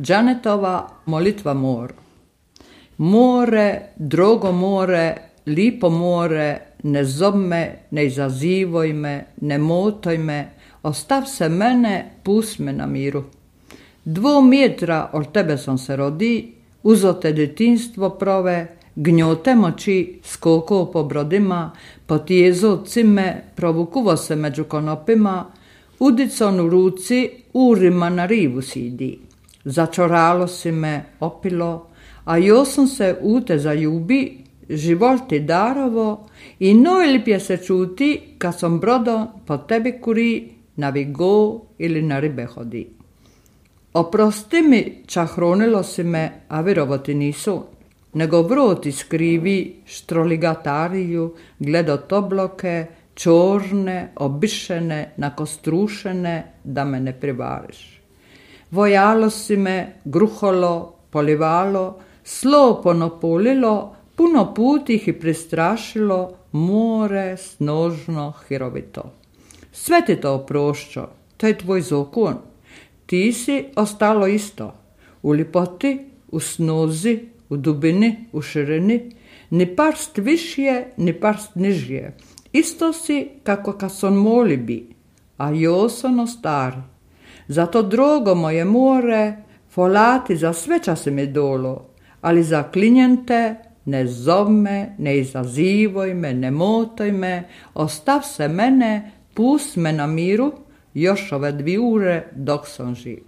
Džanetova molitva moru. More, drogo more, lipo more, ne zob me, ne izazivoj me, ne motoj me, ostav se mene, pust me na miru. 2 metra od tebe sam se rodi, uzo te detinstvo prove, gnjote moći skoko po brodima, potjezo cime, provukuvo se među konopima, udicon u ruci, urima na rivu sidi. Začoralo si me, opilo, a jo sam se u te zaljubi, život ti darovo i najlipje se čuti kad sam brodom po tebi kuri, na vigo ili na ribe hodi. Oprosti mi, čahronilo si me, a virovo ti nisu, nego vroti skrivi štroligatariju, gledot obloke, čorne, obišene, nakostrušene, da me ne privariš. Vojalo si me, gruholo, polivalo, slo ponopolilo, puno put ih i prestrašilo, more snožno hirovito. Sve ti to oprošćo, to je tvoj zakon. Ti si ostalo isto, u lipoti, u snozi, u dubini, u širini, ni parst višje, ni parst nižje. Isto si kako kad son moli bi, a jo sono stari. Zato, drogo moje more, folati za sve čase mi dolo, ali za klinjente ne zov me, ne izazivoj me, ne motoj me, ostav se mene, pust me na miru, još ove 2 ure dok sam živ.